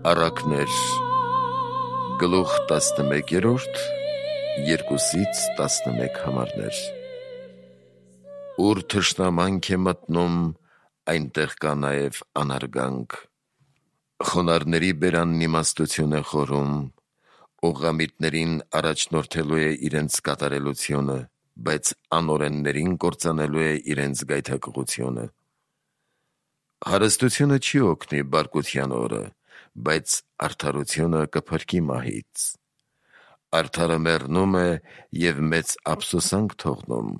Առակներ գլուխ 11-րդ 2-ից 11 համարներ։ Ուր թշնամանք է մտնում, այնտեղ կա նաև անարգանք։ Խոնարհների բերանն իմաստություն է խորում, ուղղամիտներին առաջնորդելու է իրենց կատարելությունը, բայց անօրեններին կործանելու է իրենց գայթակղությունը։ Հարստությունը չի օգնի բարկության օրը, բայց արդարությունը կփրկի մահից։ Արդարը մեռնում է և մեծ ափսոսանք թողնում,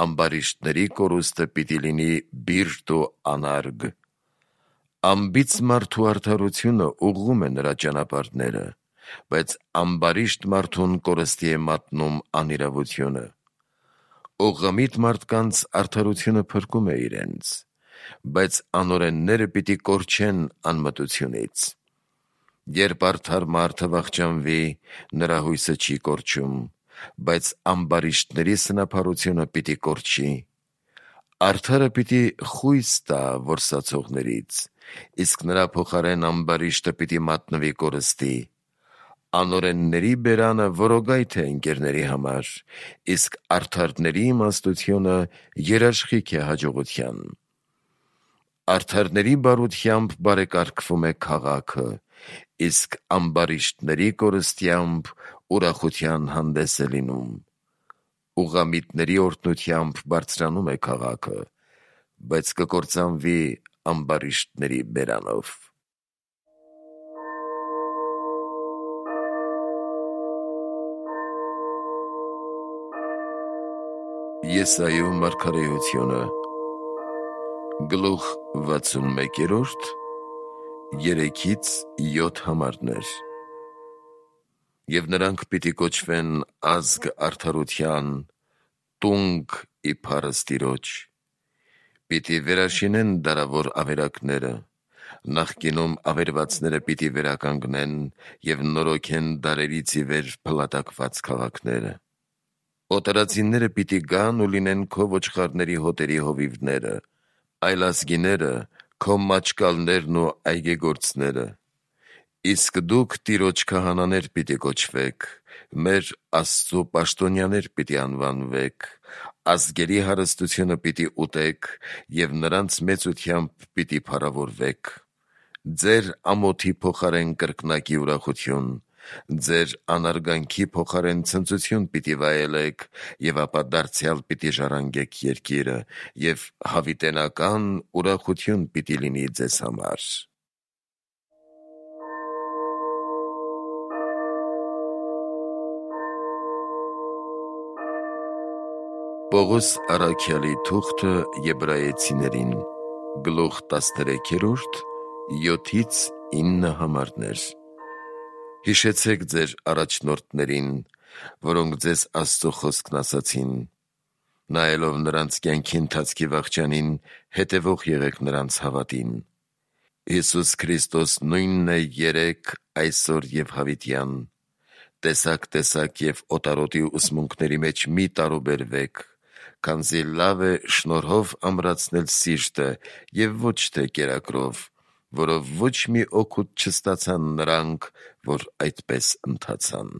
ամբարիշտների կորուստը պիտի լինի բիրտ ու անարգ։ Անբիծ մարդու արդարությունը ուղղում է նրա ճանապարհները, բայց ամբարիշտ մարդուն կորստի է մատնում անիրավությունը։ Ուղղամիտ մարդկանց արդարությունը փրկում է իրենց, բայց անօրենները պիտի կորչեն անմտությունից։ Երբ արդար մարդը վախճանվի, նրա հույսը չի կորչում, բայց ամբարիշտների սնափառությունը պիտի կորչի։ Արդարը պիտի խույս տա որսացողներից, իսկ նրա փոխարեն ամբարիշտը պիտի մատնվի կորստի։ Անօրենների բերանը որոգայթ է ընկերների համար, իսկ արդարների իմաստությունը երաշխիք է հաջողության։ Արդարների բարությամբ բարեկարգվում է քաղաքը, իսկ ամբարիշտների կորստությամբ ուրախության հանդես է լինում։ Ուղղամիտների օրհնությամբ բարձրանում է քաղաքը, բայց կկործանվի ամբարիշտների բերանով։ Եսայու մարգարեությունը գլուխ 61-րդ 3-ից 7 համարներ։ Եվ նրանք պիտի կոչվեն ազգ արդարության, տունգ իբարը Տիրոջ։ Պիտի վերաշինեն դարավոր ավերակները, նախկինում ավերվածները պիտի վերականգնեն և նորոգեն դարերից ի վեր փլատակված քաղաքները։ Օտարածինները պիտի գան ու լինեն քո ոչխարների հոտերի հովիվները, այլազգիները քո մաճկալներն ու այգեգործները։ Իսկ դուք Տիրոջ քահանաներ պիտի կոչվեք, մեր Աստծու պաշտոնյաներ պիտի անվանվեք, ազգերի հարստությունը պիտի ուտեք և նրանց մեծությամբ պիտի փառավորվեք։ Ձեր ամոթի փոխարեն կրկնակի ուրախություն, ձեր անարգանքի փոխարեն ցնծություն պիտի վայելեք, և ապա դարձյալ պիտի ժառանգեք երկիրը, և հավիտենական ուրախություն պիտի լինի ձեզ համար։ Պողոս առաքյալի թուղթը Եբրայեցիներին գլուխ 13-րդ 7-ից 9 համարներ։ Հիշեցեք ձեր առաջնորդներին, որոնք ձեզ Աստծո խոսքն ասացին, նայելով նրանց կյանքի ընթացքի վախճանին, հետևող եղեք նրանց հավատին։ Հիսուս Քրիստոս նույնն է երեկ, այսօր և հավիտյան։ Տեսակ և օտարոտի ուսմունքների մեջ մի տարուբերվեք, քանզի լավ է շնորհով ամրացնել սիրտը և ոչ թե կերակրով, որով ոչ մի օգուտ չստացան նրանք, որ այդպես ընթացան։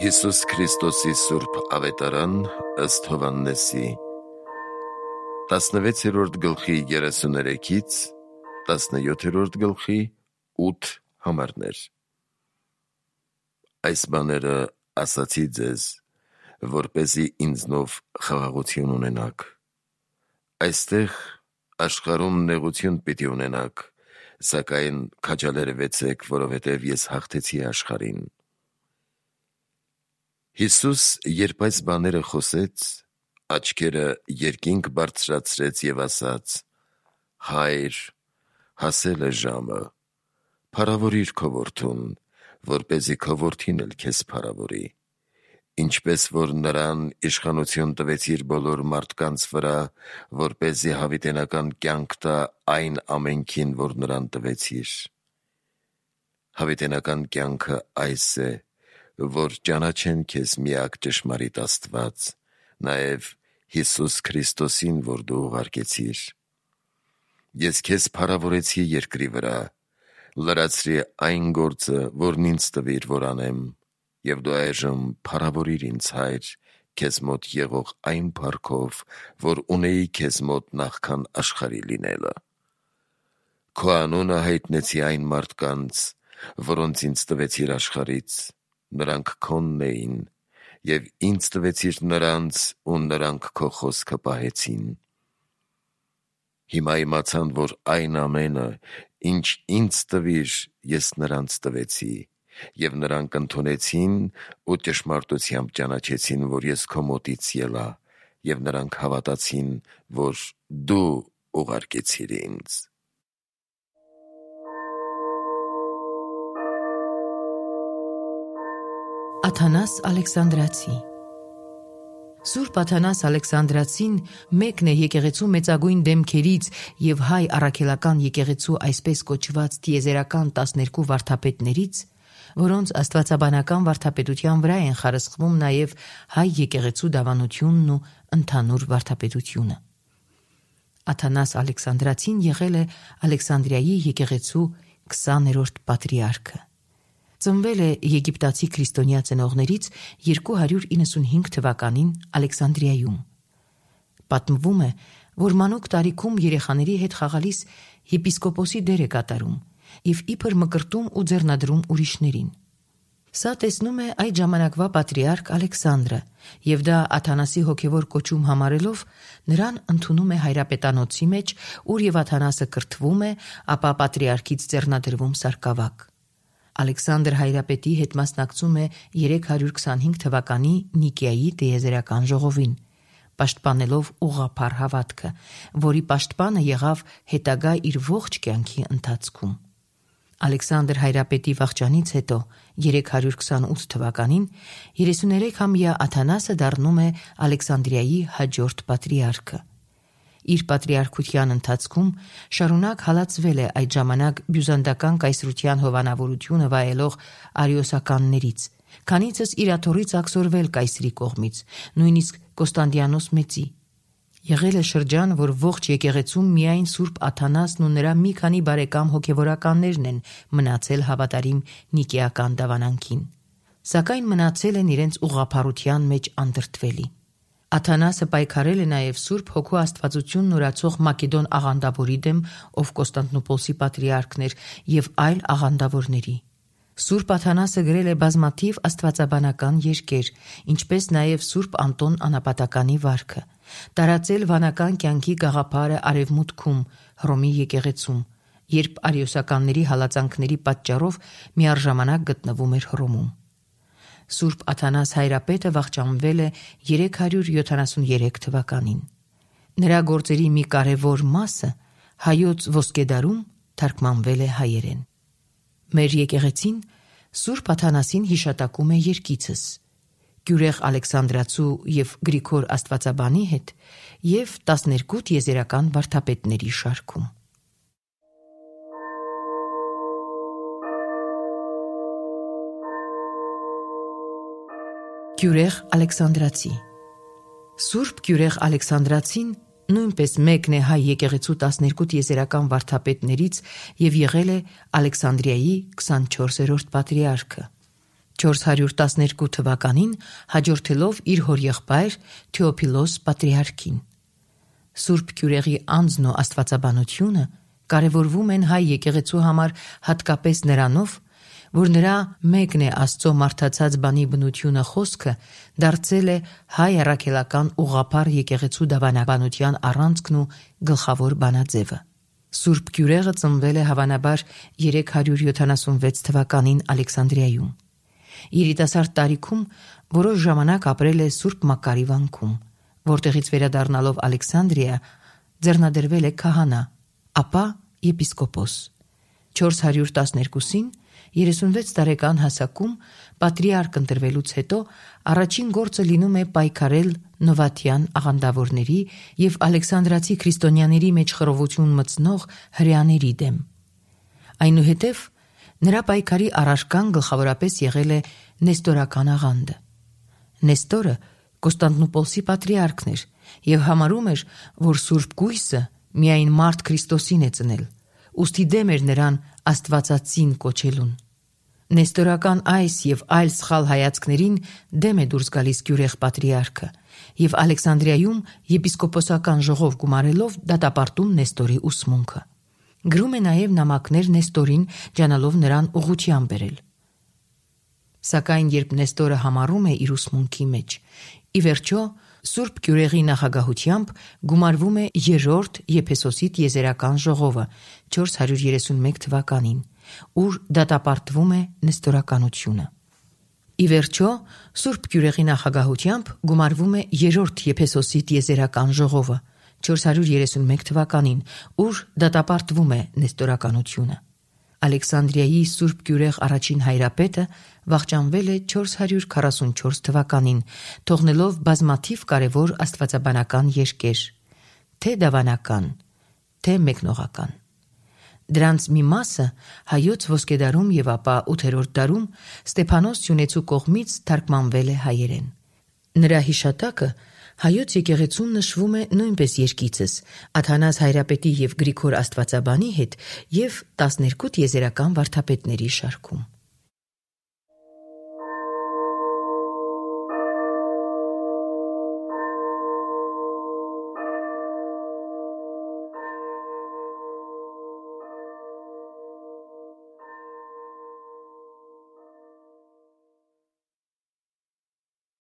Հիսուս Քրիստոսի սուրբ ավետարան ըստ Հովհաննեսի 16-րդ գլխի 33-ից 17-րդ գլխի 8 համարներ։ Այս բաները ասացի ձեզ, որպեսզի ինձնով խաղաղություն ունենաք։ Այստեղ աշխարհում նեղություն պիտի ունենաք, սակայն քաջալերվեցեք, որովհետև ես հաղթեցի աշխարհին։ Հիսուս, երբ այս բաները խոսեց, աչքերը երկինք բարձրացրեց և ասաց. «Հայր, հասել է ժամը, փառավորիր քո որդուն, որպեսզի քո որդին էլ քեզ փառավորի, ինչպես որ նրան իշխանություն տվեցիր բոլոր մարդկանց վրա, որպեսզի հավիտենական կյանք տա այն ամենքին, որ նրան տվեցիր։ Հավիտենական կյանքը այս է, որ ճանաչեն քեզ միակ ճշմարիտ Աստված, նաև Հիսուս Քրիստոսին, որ դու ուղարկեցիր։ Ես քեզ փառավորեցի երկրի վրա, լրացրի այն գործը, որն ինձ տվիր, որ անեմ, և դու այժմ փառավորիր ինձ, Հայր, քեզ մոտ եղող այն փառքով, որ ունեի քեզ մոտ նախքան աշխարհի լինելը։ Քո անունը հայտնեցի այն մարդկանց, որոնց ինձ տվեցիր աշխարհից, նրանք քոնն էին, և ինձ տվեցիր նրանց, ու նրանք քո խոսքը պահեցին։ Հիմա իմացան, որ այն ամենը, ինչ ինձ տվիր, ես նրանց տվեցի, և նրանք ընդունեցին ու ճշմարտությամբ ճանաչեցին, որ ես քո մոտից ելա, և նրանք հավատացին, որ դու ուղարկեցիր ինձ։ Աթանաս Ալեքսանդրացի Սուրբ Աթանաս Ալեքսանդրացին մեկն է եկեղեցու մեծագույն դեմքերից և հայ առաքելական եկեղեցու այսպես կոչված տիեզերական 12 վարդապետներից, որոնց աստվածաբանական վարդապետության վրա են խարսխվում նաև հայ եկեղեցու դավանությունն ու ընդհանուր վարդապետությունը։ Աթանաս Ալեքսանդրացին եղել է Ալեքսանդրիայի եկեղեցու 20-րդ պատրիարքը։ Ծնվել է եգիպտացի քրիստոնյա ծնողներից 295 թվականին Ալեքսանդրիայում։ Պատմվում է, որ մանուկ տարիքում երեխաների հետ խաղալիս եպիսկոպոսի դեր է կատարում և իբր մկրտում ու ձեռնադրում ուրիշներին։ Սա տեսնում է այդ ժամանակվա պատրիարք Ալեքսանդրը, և դա Աթանասի հոգևոր կոչում համարելով նրան ընդունում է հայրապետանոցի մեջ, ուր և Աթանասը կրթվում է, ապա պատրիարքից ձեռնադրվում սարկավակ։ Ալեքսանդր հայրապետի հետ մասնակցում է 325 թվականի Նիկեայի տիեզերական ժողովին, պաշտպանելով ուղղափառ հավատքը, որի պաշտպանը եղավ հետագա իր ողջ կյանքի ընթացքում։ Ալեքսանդր հայրապետի վախճանից հետո 328 թվականին 33-ամյա Աթանասը դառնում է Ալեքսանդրիայի հաջորդ պատրիարքը։ Իր պատրիարքության ընթացքում շարունակ հալածվել է այդ ժամանակ բյուզանդական կայսրության հովանավորությունը վայելող արիոսականներից, քանիցս իր աթոռից աքսորվել կայսրի կողմից, նույնիսկ Կոստանդիանոս Մեծի։ Եղել է շրջան, որ ողջ եկեղեցում միայն Սուրբ Աթանասն ու նրա մի քանի բարեկամ հոգևորականներն են մնացել հավատարիմ նիկեական դավանանքին, սակայն մնացել են իրենց ուղղափառության մեջ անդրդվելի։ Աթանասը պայքարել է նաև Սուրբ Հոգու աստվածությունն ուրացող Մակեդոն աղանդավորի դեմ, ով Կոստանդնուպոլսի պատրիարքն էր, և այլ աղանդավորների։ Սուրբ Աթանասը գրել է բազմաթիվ աստվածաբանական երկեր, ինչպես նաև Սուրբ Անտոն Անապատականի վարքը, տարածել վանական կյանքի գաղափարը Արևմուտքում, Հռոմի եկեղեցում, երբ արիոսականների հալածանքների պատճառով միառժամանակ գտնվում էր Հռոմում։ Սուրբ Աթանաս հայրապետը վախճանվել է 373 թվականին։ Նրա գործերի մի կարևոր մասը հայոց ոսկեդարում թարգմանվել է հայերեն։ Մեր եկեղեցին Սուրբ Աթանասին հիշատակում է երկիցս՝ Գյուրեղ Ալեքսանդրացու և Գրիգոր Աստվածաբանի հետ և 12 տիեզերական վարդապետների շարքում։ Գյուրեղ Ալեքսանդրացի Սուրբ Գյուրեղ Ալեքսանդրացին նույնպես մեկն է հայ եկեղեցու 12 տիեզերական վարդապետներից և եղել է Ալեքսանդրիայի 24-րդ պատրիարքը։ 412 թվականին հաջորդելով իր հորեղբայր Թեոփիլոս պատրիարքին։ Սուրբ Գյուրեղի անձն ու աստվածաբանությունը կարևորվում են հայ եկեղեցու համար հատկապես նրանով, որ նրա մեկն է Աստծո մարդացած բանի բնությունը խոսքը դարձել է հայ առաքելական ուղղափառ եկեղեցու դավանաբանության առանցքն ու գլխավոր բանաձևը։ Սուրբ Գյուրեղը ծնվել է հավանաբար 376 թվականին Ալեքսանդրիայում։ Երիտասարդ տարիքում որոշ ժամանակ ապրել է Սուրբ Մակարի վանքում, որտեղից վերադառնալով Ալեքսանդրիա ձեռնադրվել է քահանա, ապա եպիսկոպոս։ 412-ին 36 տարեկան հասակում պատրիարք ընտրվելուց հետո առաջին գործը լինում է պայքարել նովաթյան աղանդավորների և ալեքսանդրացի քրիստոնյաների մեջ խռովություն մտցնող հրեաների դեմ։ Այնուհետև նրա պայքարի առարկան գլխավորապես եղել է նեստորական աղանդը։ Նեստորը Կոստանդնուպոլսի պատրիարքն էր եւ համարում էր, որ Սուրբ Գույսը միայն մարդ Քրիստոսին է ծնել, ուստի դեմ էր նրան Աստվածածին կոչելուն։ Նեստորական այս եւ այլ սխալ հայացքներին դեմ է դուրս գալիս Գյուրեղ պատրիարքը եւ Ալեքսանդրիայում եպիսկոպոսական ժողով գումարելով դատապարտում Նեստորի ուսմունքը։ Գրում է նաեւ նամակներ Նեստորին, ջանալով նրան ուղղության բերել։ Սակայն երբ Նեստորը համառում է իր ուսմունքի մեջ, ի վերջո Սուրբ Գյուրեղի նախագահությամբ գումարվում է երրորդ Եփեսոսի տիեզերական ժողովը 431 թվականին, ուր դատապարտվում է նեստորականությունը։ Ի վերջո Սուրբ Գյուրեղի նախագահությամբ գումարվում է երրորդ Եփեսոսի տիեզերական ժողովը 431 թվականին, ուր դատապարտվում է նեստորականությունը։ Ալեքսանդրիայի Սուրբ Գյուրեղ առաջին հայրապետը վախճանվել է 444 թվականին, թողնելով բազմաթիվ կարևոր աստվածաբանական երկեր, թե դավանական, թե մեկնողական։ Դրանց մի մասը հայոց ոսկեդարում եւ ապա 8-րդ դարում Ստեփանոս Սյունեցու կողմից թարգմանվել է հայերեն։ Նրա հիշատակը հայոց եկեղեցում նշվում է նույնպես երկիցս Աթանաս հայրապետի եւ Գրիգոր աստվածաբանի հետ եւ 12 տիեզերական վարդապետների շարքում։